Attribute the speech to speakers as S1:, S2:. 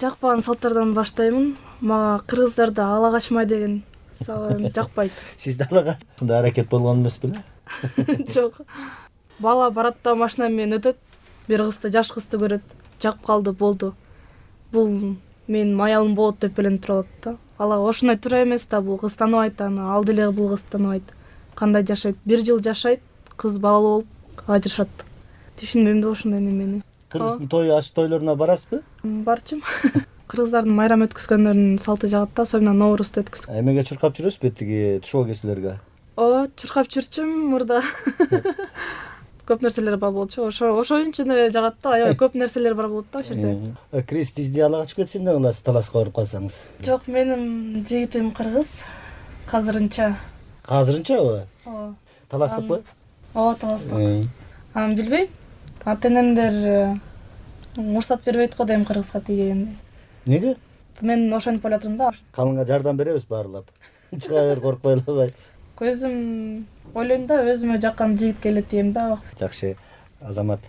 S1: Жакпаган салттардан баштаймын. Мага кыргыздарда ала качма деген жакпайт.
S2: Сизде ала качкандай аракет болгон эмес беле?
S1: Жок. Бала барат да машина менен өтөт. Бир кызды, жаш кызды көрөт. Жагып калды, болду. Бул менин аялым болот деп беленип туруп алат да. Ала ошондой туура эмес да, бул кыз тааныбайт аны, ал деле бул кыз тааныбайт. Кандай жашайт? 1 жыл жашайт, кыз балалуу болуп ажырашат. Түшүнбөйм да ошондой немени.
S2: Кыргыздын той аш тойлоруна барасызбы?
S1: Барчым. Кыргыздардын майрам өткөзгөндөрүнүн салты жагат да, особенно Ноурузду өткөзөт.
S2: Эмеге чуркап жүрөсүзбү тиги тушоо кесилерге?
S1: Ооба, чуркап жүрчүм мурда. Көп нерселер бар болчу. Ошо үчүн эле жагат да, аябай көп нерселер бар болот да ошол жерде.
S2: Криз тизди ала качып кетсе эмне кыласыз, таласка барып калсаңыз?
S1: Жок, менин жигитим кыргыз. Азырынча.
S2: Азырынчабы?
S1: Ооба.
S2: Таластыкпы?
S1: Ооба, таластык. Аны билбейм. Ата-энемдер уруксат бербейт го дейм кыргызга тийгенде.
S2: Неге?
S1: Мен ошентип ойлотум да.
S2: Калыңга жардам беребиз баарлап. Чыга бер, коркпой эле кой.
S1: Өзүм ойлойм да, өзүмө жаккан жигит келет дейм да.
S2: Жакшы, Азамат.